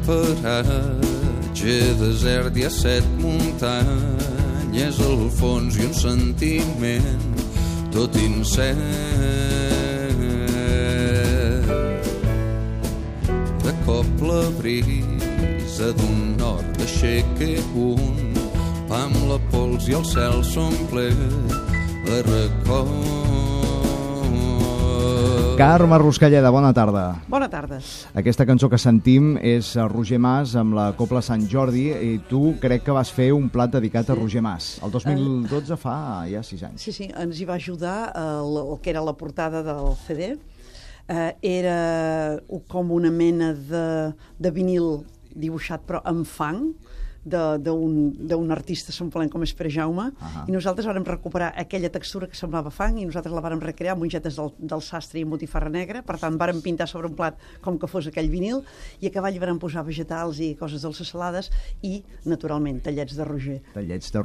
paratge desert hi ha 7 muntanyes al fons i un sentiment tot incert. De cop la brisa d'un nord aixeca un pa amb la pols i el cel s'omple de record. Carme Ruscalleda, bona tarda. Bona tarda. Aquesta cançó que sentim és Roger Mas amb la Cobla Sant Jordi i tu crec que vas fer un plat dedicat a Roger Mas. El 2012 fa ja 6 anys. Sí, ens hi va ajudar el que era la portada del CD. Era com una mena de vinil dibuixat però amb fang d'un artista semblant com és Pere Jaume, i nosaltres vàrem recuperar aquella textura que semblava fang i nosaltres la vàrem recrear amb mongetes del sastre i botifarra negra. Per tant, vàrem pintar sobre un plat com que fos aquell vinil i a cavall vàrem posar vegetals i coses dolces salades i, naturalment, tallets de Roger. Tallets de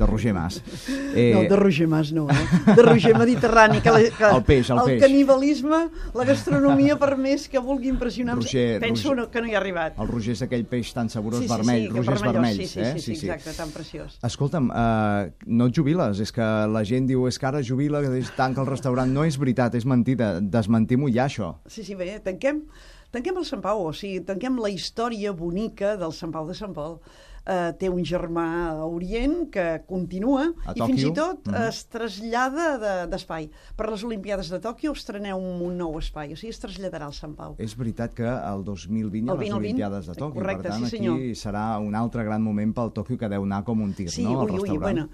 Roger Mas. No, de Roger Mas no, de Roger Mediterrani. El peix. El canibalisme, la gastronomia, per més que vulgui impressionar, penso que no hi ha arribat. El Roger és aquell peix tan saborós vermell, Rogers vermells. Sí, exacte, tan preciós. Escolta'm, no et jubiles, és que la gent diu és que ara jubila, que tanca el restaurant. No és veritat, és mentida, desmentim-ho ja, això. Sí, bé, tanquem el Sant Pau, o sigui, tanquem la història bonica del Sant Pau de Sant Pol. Té un germà a Orient que continua i fins i tot es trasllada d'espai. Per les Olimpiades de Tòquio estreneu un nou espai, o sigui, es traslladarà al Sant Pau. És veritat que el 2020 hi ha les Olimpiades de Tòquio, correcte, per tant aquí serà un altre gran moment pel Tòquio que deu anar com un tir, no? Al restaurant.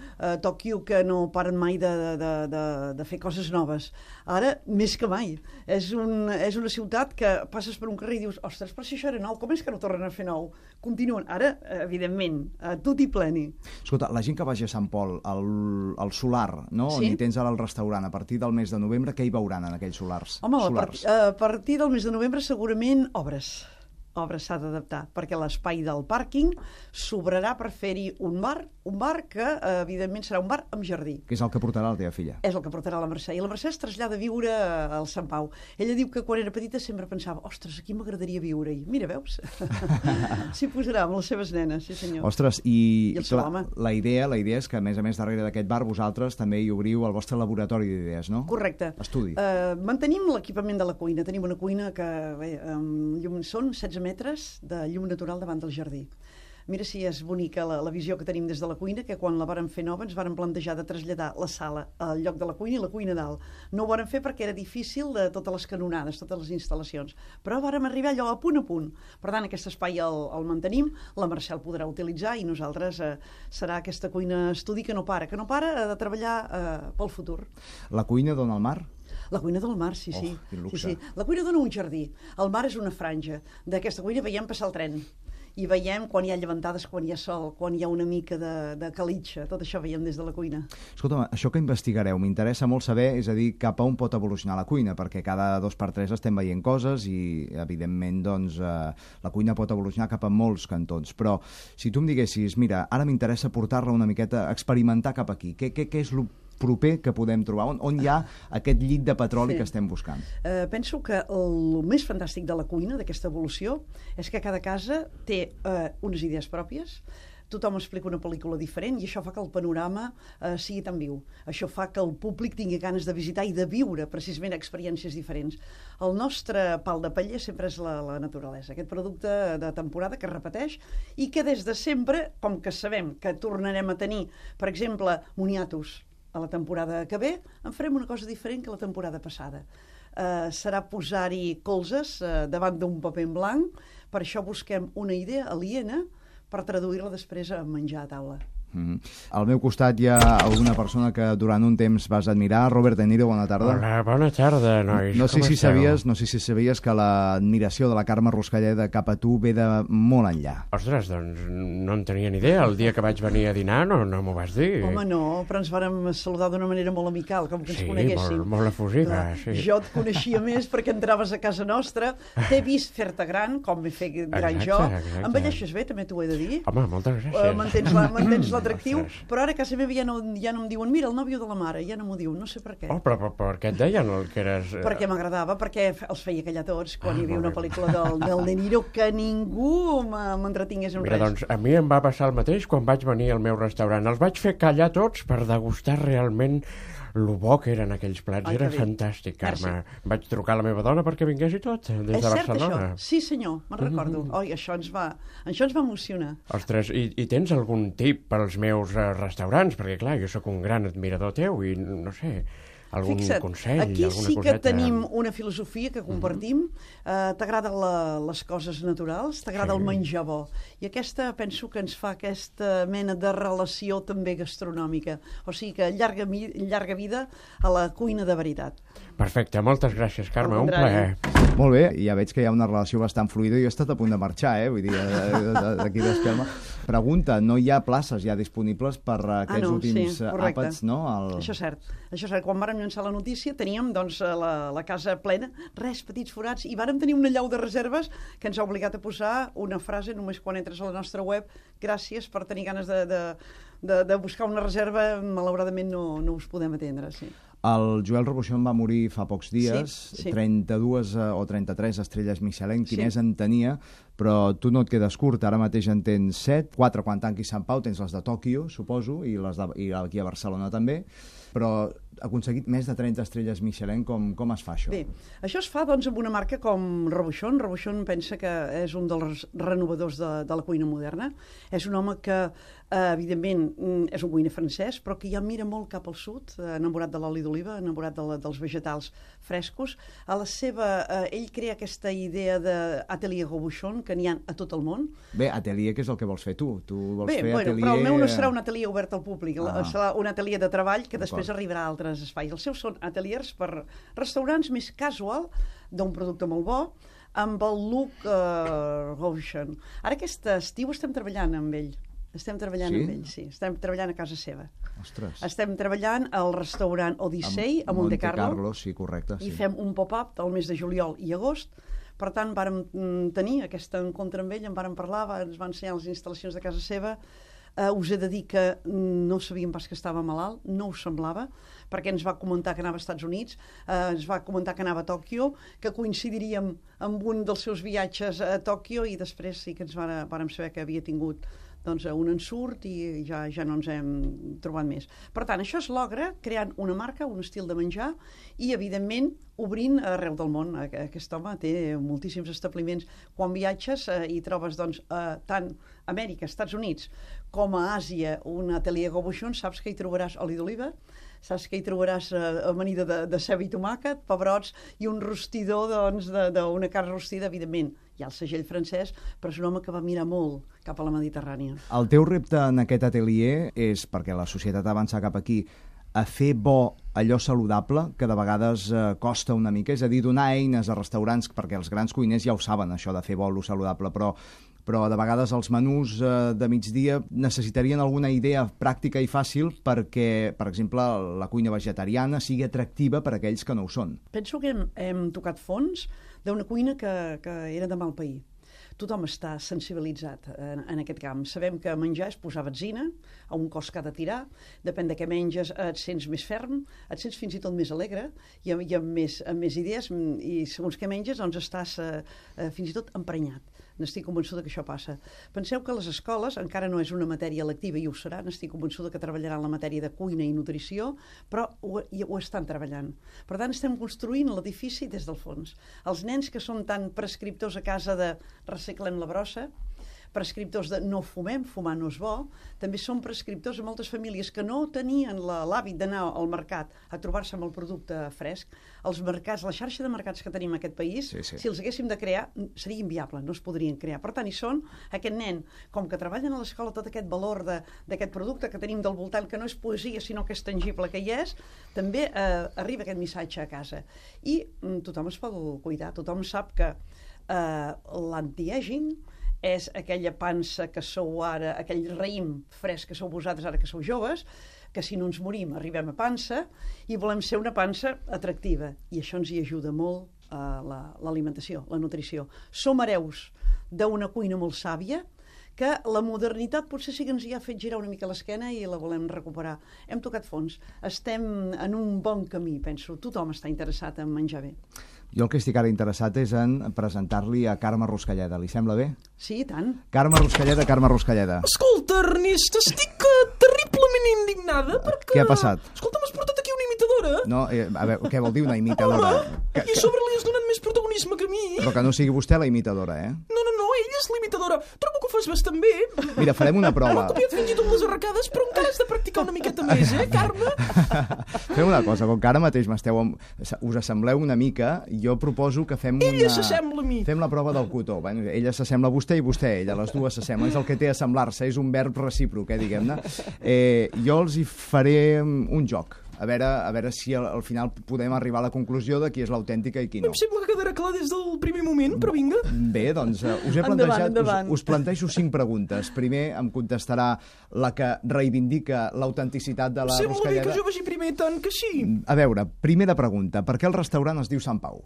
Tòquio que no paren mai de fer coses noves. Ara, més que mai. És una ciutat que passes per un carrer i dius, ostres, però si això era nou, com és que no tornen a fer nou? Continuen. Ara, evidentment, tot i pleni. Escolta, la gent que vagi a Sant Pol, al solar, no? Sí? On hi tens ara el restaurant, a partir del mes de novembre, què hi veuran en aquells solars? Home, a partir del mes de novembre segurament obres s'ha d'adaptar, perquè l'espai del pàrquing sobrarà per fer-hi un bar que, evidentment, serà un bar amb jardí. Que és el que portarà la teva filla. És el que portarà la Mercè. I la Mercè es trasllada a viure al Sant Pau. Ella diu que quan era petita sempre pensava, ostres, aquí m'agradaria viure-hi. Mira, veus? S'hi posarà amb les seves nenes, sí senyor. Ostres, i clar, la idea és que, a més darrere d'aquest bar, vosaltres també hi obriu el vostre laboratori d'idees, no? Correcte. Estudi. Mantenim l'equipament de la cuina. Tenim una cuina que, són 16 metres de llum natural davant del jardí. Mira si és bonica la visió que tenim des de la cuina, que quan la vàrem fer nova ens vàrem plantejar de traslladar la sala al lloc de la cuina i la cuina dalt. No ho vàrem fer perquè era difícil de totes les canonades, totes les instal·lacions, però vàrem arribar allò a punt. Per tant, aquest espai el mantenim, la Mercè el podrà utilitzar i nosaltres serà aquesta cuina estudi que no para de treballar pel futur. La cuina dona al mar? La cuina del mar, sí. La cuina dona un jardí. El mar és una franja. D'aquesta cuina veiem passar el tren. I veiem quan hi ha llevantades, quan hi ha sol, quan hi ha una mica de calitxa. Tot això veiem des de la cuina. Escolta'm, això que investigareu, m'interessa molt saber, és a dir, cap a on pot evolucionar la cuina, perquè cada 2x3 estem veient coses i, evidentment, doncs, la cuina pot evolucionar cap a molts cantons. Però, si tu em diguessis, mira, ara m'interessa portar-la una miqueta, experimentar cap aquí, què és el proper que podem trobar? On hi ha aquest llit de petroli que estem buscant? Penso que el més fantàstic de la cuina, d'aquesta evolució, és que cada casa té unes idees pròpies, tothom explica una pel·lícula diferent i això fa que el panorama sigui tan viu. Això fa que el públic tingui ganes de visitar i de viure precisament experiències diferents. El nostre pal de paller sempre és la naturalesa, aquest producte de temporada que es repeteix i que des de sempre, com que sabem que tornarem a tenir, per exemple, moniatos a la temporada que ve, en farem una cosa diferent que la temporada passada. Serà posar-hi colzes davant d'un paper en blanc, per això busquem una idea aliena per traduir-la després a menjar a taula. Al meu costat hi ha alguna persona que durant un temps vas admirar. Robert De Niro, bona tarda. Hola, bona tarda, nois. No sé si sabies que l'admiració de la Carme Ruscalleda cap a tu ve de molt enllà. Ostres, doncs no en tenia ni idea. El dia que vaig venir a dinar no m'ho vas dir. Home, no, però ens vàrem saludar d'una manera molt amical, com que ens coneguéssim. Sí, molt efusiva, sí. Jo et coneixia més perquè entraves a casa nostra, t'he vist fer-te gran, com m'he fet gran jo. Envelleixes bé, també t'ho he de dir. Home, moltes gràcies. Mantens la atractiu, Ostres. però ara a casa meva ja no em diuen mira, el nòvio de la mare, ja no m'ho diu, no sé per què. Oh, però per què et deien que eres... Perquè m'agradava, perquè els feia callar tots quan hi havia molt una bé. pel·lícula del De Niro que ningú m'entretingués en Mira, res. doncs a mi em va passar el mateix quan vaig venir al meu restaurant. Els vaig fer callar tots per degustar realment lo bo que eren aquells plats. Ai, Era que bé. fantàstic, Carme. Merci. Vaig trucar a la meva dona perquè vingués i tot, des de És cert, Barcelona. això? Sí, senyor, me'n recordo. Oi, això ens va emocionar. Ostres, i tens algun tip pels meus restaurants? Perquè, clar, jo sóc un gran admirador teu i, no sé, algun Fixa't, consell, aquí alguna sí que coseta... tenim una filosofia que compartim. T'agraden les coses naturals, t'agrada Sí. el menjar bo. I aquesta penso que ens fa aquesta mena de relació també gastronòmica. O sigui que llarga vida a la cuina de veritat. Perfecte, moltes gràcies, Carme, Al un contrari. plaer. Molt bé, ja veig que hi ha una relació bastant fluida i jo he estat a punt de marxar, vull dir, d'aquí d'Espelma. Pregunta, no hi ha places ja disponibles per aquests últims correcte. àpats, no? Això és cert. Això és cert. Quan vàrem llançar la notícia teníem doncs, la casa plena, petits forats, i vàrem tenir una llau de reserves que ens ha obligat a posar una frase només quan entres a la nostra web: gràcies per tenir ganes de buscar una reserva, malauradament no us podem atendre, sí. El Joel Robuchon va morir fa pocs dies, Sí. 32 o 33 estrelles Michelin, qui Sí. més en tenia, però tu no et quedes curt, ara mateix en tens 7, 4 quan tanqui Sant Pau, tens les de Tòquio, suposo, i aquí a Barcelona també, però ha aconseguit més de 30 estrelles Michelin, com es fa això? Bé, això es fa doncs, amb una marca com Robuchon. Robuchon pensa que és un dels renovadors de la cuina moderna. És un home que, evidentment, és un cuiner francès, però que ja mira molt cap al sud, enamorat de l'oli d'oliva, enamorat dels vegetals frescos. Ell crea aquesta idea d'atelier Robuchon, que n'hi ha a tot el món. Bé, atelier, que és el que vols fer tu? Tu vols fer Bueno, atelier... però el meu no serà un atelier obert al públic, serà un atelier de treball que després D'acord. arribarà a altres espais. Els seus són ateliers per restaurants més casual, d'un producte molt bo, amb el look Robuchon. Ara aquest estiu estem treballant amb ell. Estem treballant amb ell, sí. Estem treballant a casa seva. Ostres. Estem treballant al restaurant Odyssey, a Monte Carlo. Sí, correcte. I Sí. fem un pop-up del mes de juliol i agost. Per tant, vàrem tenir aquest encontre amb ell, en vàrem parlar, ens va ensenyar les instal·lacions de casa seva. Us he de dir que no sabíem pas que estava malalt, no ho semblava, perquè ens va comentar que anava als Estats Units, ens va comentar que anava a Tòquio, que coincidiríem amb un dels seus viatges a Tòquio, i després sí que ens vàrem saber que havia tingut doncs, un ensurt i ja no ens hem trobat més. Per tant, això es logra creant una marca, un estil de menjar i, evidentment, obrint arreu del món. Aquest home té moltíssims establiments. Quan viatges i trobes doncs, tant a Amèrica, Estats Units, com a Àsia, un atelier Robuchon, saps que hi trobaràs oli d'oliva, saps que hi trobaràs amanida de ceba i tomàquet, pebrots i un rostidor d'una carn rostida, evidentment. Hi ha el segell francès, però és un home que va mirar molt cap a la Mediterrània. El teu repte en aquest atelier és, perquè la societat avança cap aquí, a fer bo allò saludable, que de vegades costa una mica, és a dir, donar eines a restaurants, perquè els grans cuiners ja ho saben, això de fer bo lo saludable, però de vegades els menús de migdia necessitarien alguna idea pràctica i fàcil perquè, per exemple, la cuina vegetariana sigui atractiva per a aquells que no ho són. Penso que hem tocat fons d'una cuina que era de mal pair. Tothom està sensibilitzat en aquest camp. Sabem que menjar és posar benzina a un cos que ha de tirar, depèn de què menges et sents més ferm, et sents fins i tot més alegre i amb més idees, i segons què menges doncs estàs fins i tot emprenyat. N'estic convençuda que això passa. Penseu que les escoles encara no és una matèria lectiva i ho serà, n'estic convençuda que treballaran la matèria de cuina i nutrició, però ho estan treballant. Per tant, estem construint l'edifici des del fons. Els nens que són tan prescriptors a casa de reciclem la brossa, prescriptors de no fumem, fumar no és bo, també són prescriptors a moltes famílies que no tenien l'hàbit d'anar al mercat a trobar-se amb el producte fresc. Els mercats, la xarxa de mercats que tenim en aquest país, sí. si els haguéssim de crear, seria inviable, no es podrien crear. Per tant, hi són aquest nen, com que treballen a l'escola tot aquest valor d'aquest producte que tenim del voltant, que no és poesia, sinó que és tangible, que hi és, també arriba aquest missatge a casa. I tothom es pot cuidar, tothom sap que l'anti-aging és aquella pansa que sou ara, aquell raïm fresc que sou vosaltres ara que sou joves, que si no ens morim arribem a pansa i volem ser una pansa atractiva. I això ens hi ajuda molt l'alimentació, la nutrició. Som hereus d'una cuina molt sàvia que la modernitat potser sí que ens hi ha fet girar una mica l'esquena i la volem recuperar. Hem tocat fons. Estem en un bon camí, penso. Tothom està interessat en menjar bé. Jo el que estic ara interessat és en presentar-li a Carme Ruscalleda. Li sembla bé? Sí, i tant. Carme Ruscalleda. Escolta, Ernest, estic terriblement indignada perquè... Què ha passat? Escolta, m'has portat aquí una imitadora? No, a veure, què vol dir una imitadora? Home, i a sobre li has donat més protagonisme que a mi. Però que no sigui vostè la imitadora, eh? No, ella és l'imitadora. Trobo que ho fas bastant bé. Mira, farem una prova. M'ha copiat fins i tot les arracades, però encara has de practicar una miqueta més, Carme? Fem una cosa, com que ara mateix us assembleu una mica, jo proposo que fem Ella s'assembla a mi. Fem la prova del cotó. Bueno, ella s'assembla a vostè i vostè a ella, les dues s'assemblen. És el que té assemblar-se, és un verb recíproc, diguem-ne. Jo els hi faré un joc. A veure si al final podem arribar a la conclusió de qui és l'autèntica i qui no. Em sembla que quedarà clar des del primer moment, però vinga. Bé, doncs us he plantejat, us plantejo 5 preguntes. Primer em contestarà la que reivindica l'autenticitat de la Ruscalleda. Sembla bé que jo vagi primer, tant que sí. A veure, primera pregunta. Per què el restaurant es diu Sant Pau?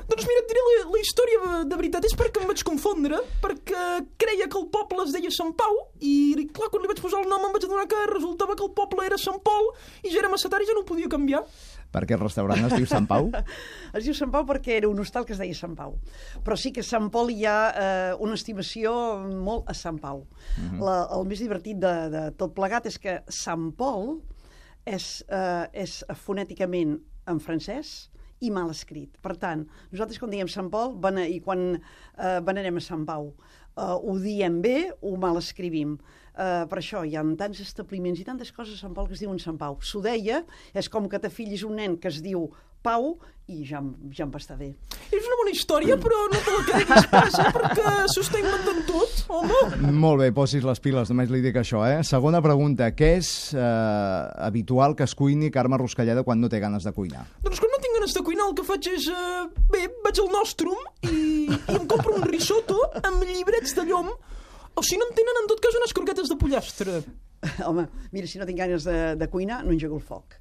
Doncs mira, et diré la història de veritat. És perquè em vaig confondre, perquè creia que el poble es deia Sant Pau, i clar, quan li vaig posar el nom em vaig adonar que resultava que el poble era Sant Pol, i ja era massa tard i ja no ho podia canviar. Per què el restaurant es diu Sant Pau? Es diu Sant Pau perquè era un hostal que es deia Sant Pau. Però sí que a Sant Pol hi ha una estimació molt a Sant Pau. El més divertit de tot plegat és que Sant Pol és fonèticament en francès i mal escrit. Per tant, nosaltres quan diem Sant Pol i quan venerem a Sant Pau, ho diem bé, ho mal escrivim. Per això hi ha tants establiments i tantes coses a Sant Pol que es diuen Sant Pau. S'ho deia, és com que t'afillis un nen que es diu Pau i ja em va estar bé. És una bona història, però no te la quedis pas, perquè s'ho està inventant tot, home. Molt bé, posis les piles, només li dic això, Segona pregunta, què és habitual que es cuini Carme Ruscalleda quan no té ganes de cuinar? Doncs quan no tinc ganes de cuinar el que faig és... vaig al Nostrum i em compro un risotto amb llibrets de llom, o si no en tenen, en tot cas, unes croquetes de pollastre. Home, mira, si no tinc ganes de cuinar, no engego el foc.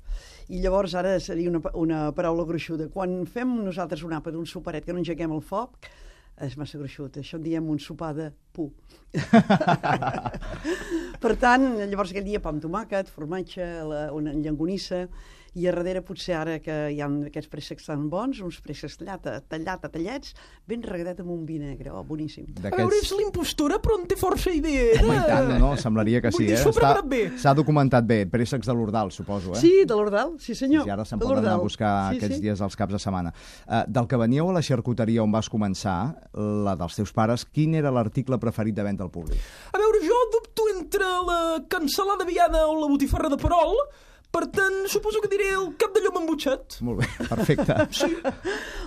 I llavors ara seria una paraula gruixuda. Quan fem nosaltres un àpat, un superet, que no engeguem el foc, és massa gruixut. Això en diem un sopar de pu. Per tant, llavors aquell dia pa amb tomàquet, formatge, una llonganissa, i a darrere potser ara que hi ha aquests préssecs tan bons, uns préssecs tallats, ben regadet amb un vi negre, boníssim. A veure, és l'impostora, però en té força idea. Home, i tant, no? Semblaria que sí, S'ha documentat bé, préssecs de l'Ordal, suposo, Sí, de l'Ordal, sí senyor. I ara se'n poden anar a buscar aquests dies als caps de setmana. Del que veníeu a la xarcuteria on vas començar, la dels teus pares, quin era l'article preferit de venda al públic? A veure, jo dubto entre la cansalada viada o la botifarra de perol. Per tant, suposo que diré el cap de llom embutxat. Molt bé, perfecte. Sí.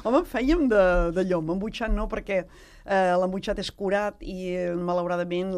Home, fèiem de llom, embutxat no, perquè l'embutxat és curat i malauradament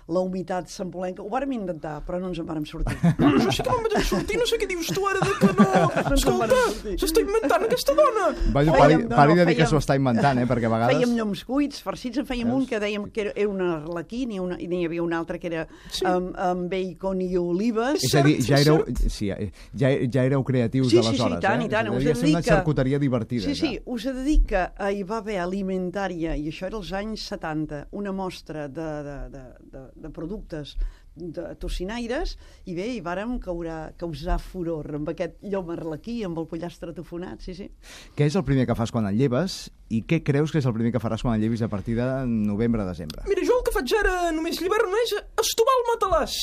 la humitat sampolenca. Ho vàrem intentar, però no ens en vàrem sortir. Jo sí que me'n vaig sortir, no sé què dius tu ara de que no... Escolta, s'està inventant aquesta dona! Pari de dir que s'ho està inventant, perquè a vegades... Fèiem lloms cuits, farcits, en fèiem un que dèiem que era un arlequí, i n'hi havia un altre que era amb bacon i olives. És a dir, ja éreu creatius d'aleshores, Sí, i tant. Devia ser una xarcuteria divertida. Sí, us he de dir que hi va haver alimentària, i això era als anys 70, una mostra de productes de tocinaires, i bé, hi vàrem causar furor amb aquest llom arlequí, amb el pollastre tofonat, sí. Què és el primer que fas quan et lleves i què creus que és el primer que faràs quan et llevis a partir de novembre-desembre? Mira, jo el que faig ara només l'hivern és estovar el matalàs,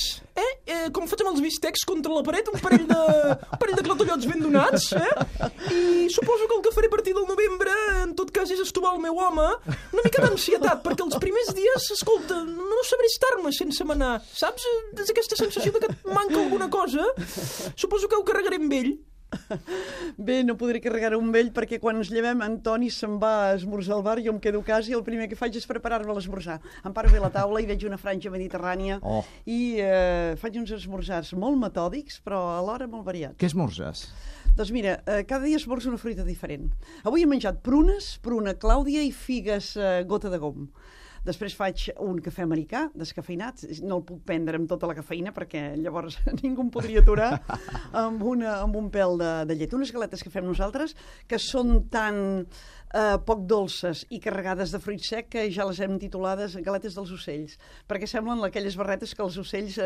com faig amb els bistecs contra la paret, un parell de clatellots ben donats, i suposo que el que faré a partir del novembre, en tot cas, és estovar el meu home, una mica d'ansietat, perquè els primers dies, escolta, no sabré estar-me sense manar, saps? És aquesta sensació de que et manca alguna cosa. Suposo que ho carregaré amb ell. Bé, no podré carregar un vell perquè quan ens llevem en Toni se'n va a esmorzar al bar, jo em quedo a casa i el primer que faig és preparar-me l'esmorzar. Em paro bé a la taula i veig una franja mediterrània i faig uns esmorzars molt metòdics però alhora molt variats. Què esmorzes? Doncs mira, cada dia esmorzo una fruita diferent. Avui he menjat prunes, pruna clàudia i figues gota de gom. Després faig un cafè americà, descafeinat, no el puc prendre amb tota la cafeïna perquè llavors ningú em podria aturar, amb un pèl de llet. Unes galetes que fem nosaltres que són tan poc dolces i carregades de fruit sec, que ja les hem titulades galetes dels ocells, perquè semblen aquelles barretes que els ocells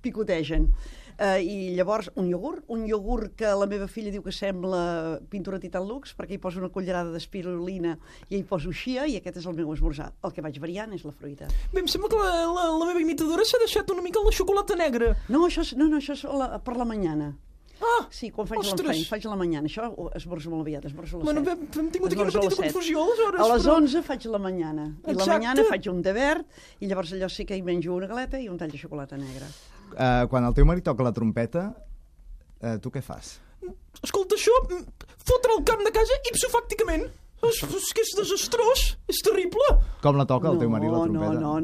picotegen. I llavors un iogurt que la meva filla diu que sembla pintura Titan Lux, perquè hi poso una cullerada d'espirulina i hi poso xia, i aquest és el meu esmorzar. El que vaig variant és la fruita. Bé, em sembla que la meva imitadora s'ha deixat una mica la xocolata negra. No, això és per la mañana. Ah, Sí, quan faig la mañana. Això esmorzo molt aviat, esmorzo a les 7. bueno, hem tingut aquí una Esmorzo a petita les 7. confusió, aleshores. A les però- 11 faig la mañana. I la Exacte. mañana faig un té verd, i llavors allò sí que hi menjo una galeta i un tall de xocolata negra. Quan el teu marit toca la trompeta, tu què fas? Escolta, això, fotre el camp de casa ipsofàcticament. És que és desastrós, és terrible. Com la toca el teu marit, la trompeta?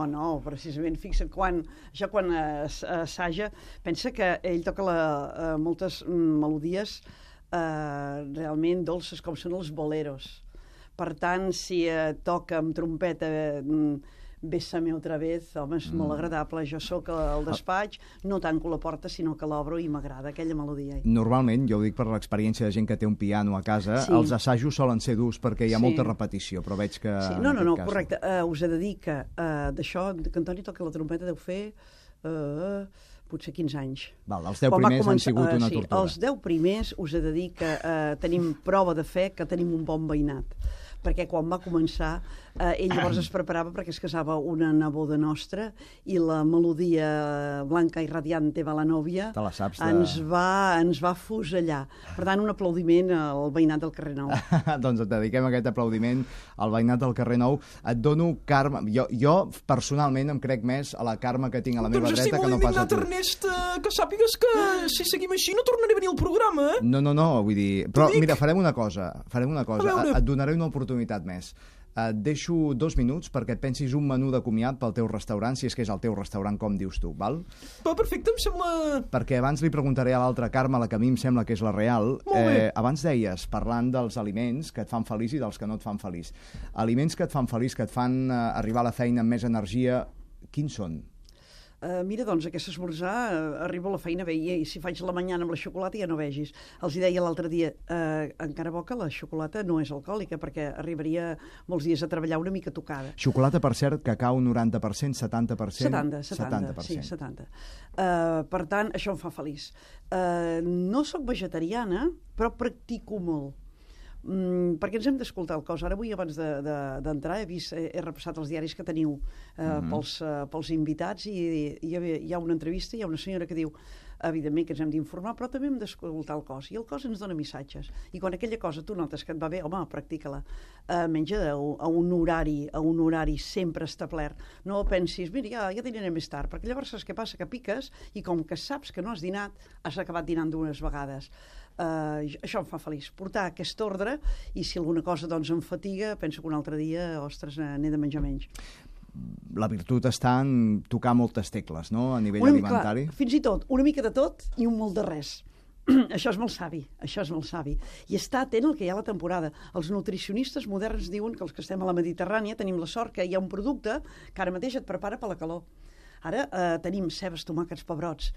No, precisament, fixa't, quan assaja, pensa que ell toca moltes melodies realment dolces, com són els boleros. Per tant, si toca amb trompeta Bésame otra vez, home, és molt agradable. Jo sóc al despatx, no tanco la porta, sinó que l'obro i m'agrada aquella melodia. Normalment, jo ho dic per l'experiència de gent que té un piano a casa, Sí. els assajos solen ser durs perquè hi ha Sí. molta repetició, però veig que... Sí, en no, aquest cas correcte. Us he de dir que d'això, que Antoni toca la trompeta, deu fer potser 15 anys. Val, els 10 Quan va primers han sigut una tortura. Els 10 primers us he de dir que tenim prova de fe que tenim un bon veïnat, perquè quan va començar ell llavors es preparava perquè es casava una neboda nostra i la melodia Blanca i Radiante va la nòvia Te la saps de- ens va fusellar. Per tant, un aplaudiment al veïnat del carrer Nou. Doncs et dediquem aquest aplaudiment al veïnat del carrer Nou. Et dono Carme... Jo personalment em crec més a la Carme que tinc a la meva Doncs estic dreta que molt no pas a indignat, tu. Ernest, que sàpigues que si seguim així no tornaré a venir al programa, eh? No, vull dir... Però dic. mira, farem una cosa. A veure. Et donaré una oportunitat més. Et deixo 2 minuts perquè et pensis un menú de comiat pel teu restaurant, si és que és el teu restaurant, com dius tu, val? Va, perfecte, em sembla... Perquè abans li preguntaré a l'altra Carme, la que a mi em sembla que és la real. Molt bé. Abans deies, parlant dels aliments que et fan feliç i dels que no et fan feliç. Aliments que et fan feliç, que et fan arribar a la feina amb més energia, quins són? Mira, doncs, aquest esmorzar, arribo a la feina bé, i si faig la mañana amb la xocolata ja no vegis. Els hi deia l'altre dia, encara bo que la xocolata no és alcohòlica, perquè arribaria molts dies a treballar una mica tocada. Xocolata, per cert, cacau 90%, 70%? 70, sí, 70. Per tant, això em fa feliç. No sóc vegetariana, però practico molt. Perquè ens hem d'escoltar el cos. Ara avui, abans d'entrar, he repassat els diaris que teniu pels invitats i hi ha una entrevista, hi ha una senyora que diu evidentment que ens hem d'informar, però també hem d'escoltar el cos, i el cos ens dona missatges, i quan aquella cosa tu notes que et va bé, home, practica-la, menja a un horari sempre establert, no pensis, mira, ja dinaré més tard, perquè llavors saps què passa, que piques, i com que saps que no has dinat, has acabat dinant dues vegades. Això em fa feliç, portar aquest ordre, i si alguna cosa doncs em fatiga, penso que un altre dia, ostres, n'he de menjar menys. La virtut està en tocar moltes tecles, no?, a nivell alimentari. Clar, fins i tot, una mica de tot i un molt de res. Això és molt savi, I està atent al que hi ha a la temporada. Els nutricionistes moderns diuen que els que estem a la Mediterrània tenim la sort que hi ha un producte que ara mateix et prepara per la calor. Ara tenim cebes, tomàquets, pebrots,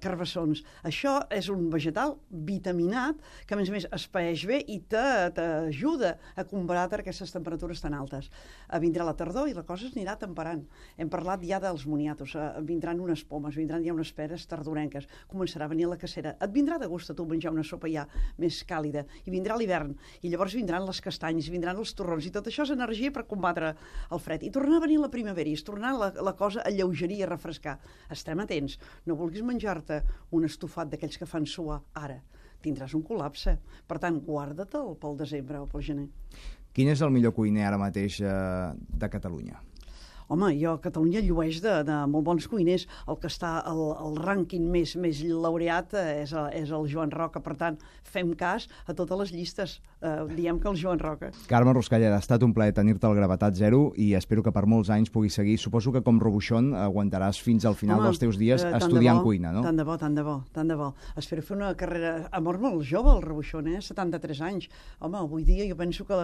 carbassons. Això és un vegetal vitaminat que, a més, es paeix bé i t'ajuda a combatre aquestes temperatures tan altes. Vindrà la tardor i la cosa es anirà temperant. Hem parlat ja dels moniatos. Vindran unes pomes, vindran ja unes peres tardorenques. Començarà a venir la cacera. Et vindrà de gust a tu menjar una sopa ja més càlida. I vindrà l'hivern. I llavors vindran les castanyes, vindran els torrons. I tot això és energia per combatre el fred. I tornarà a venir la primavera i es tornarà la cosa a lleugerir, a refrescar. Estem atents. No vulguis menjar-te un estofat d'aquells que fan suar ara. Tindràs un col·lapse. Per tant, guarda-te'l pel desembre o pel gener. Quin és el millor cuiner ara mateix de Catalunya? Home, jo a Catalunya llueix de molt bons cuiners. El que està al rànquing més laureat és el Joan Roca. Per tant, fem cas a totes les llistes. Diem que el Joan Roca. Carme Ruscalleda, ha estat un plaer tenir-te al Gravetat Zero i espero que per molts anys puguis seguir. Suposo que com Robuixón aguantaràs fins al final dels teus dies estudiant cuina, no? Tant de bo. Espero fer una carrera... Ha mort molt jove el Robuixón, 73 anys. Home, avui dia jo penso que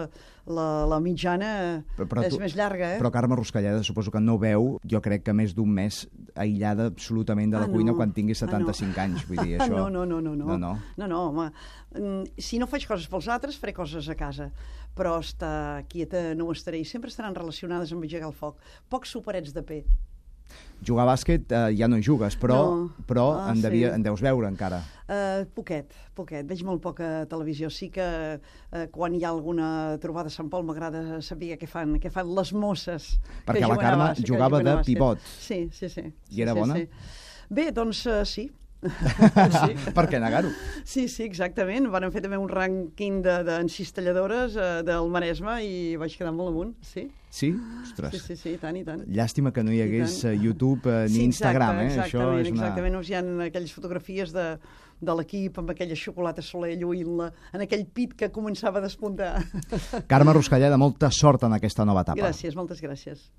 la mitjana és més llarga, Però Carme Ruscalleda, suposo que no veu, jo crec que més d'un mes aïllada absolutament de la cuina quan tingui 75 anys. Vull dir, això... No, home. Si no faig coses pels altres, faré coses a casa. Però estar quieta no ho estaré. I sempre estaran relacionades amb engegar el foc. Pocs soparets de pe. Jugar a bàsquet ja no hi jugues, però en deus veure encara. Poquet. Veig molt poca televisió. Sí que quan hi ha alguna trobada a Sant Pol m'agrada saber què fan les mosses. Perquè la Carme jugava de pivot. Sí. I era bona? Bé, doncs sí. Per què negar-ho? Sí, exactament. Van fer també un rànquing d'encistelladores del Maresme i vaig quedar molt amunt, sí. Sí? Ostres. Sí, tant i tant. Llàstima que no hi hagués YouTube ni Instagram, Exactament. Hi ha aquelles fotografies de l'equip amb aquella xocolata Soler lluint-la en aquell pit que començava a despuntar. Carme Ruscalleda, molta sort en aquesta nova etapa. Gràcies, moltes gràcies.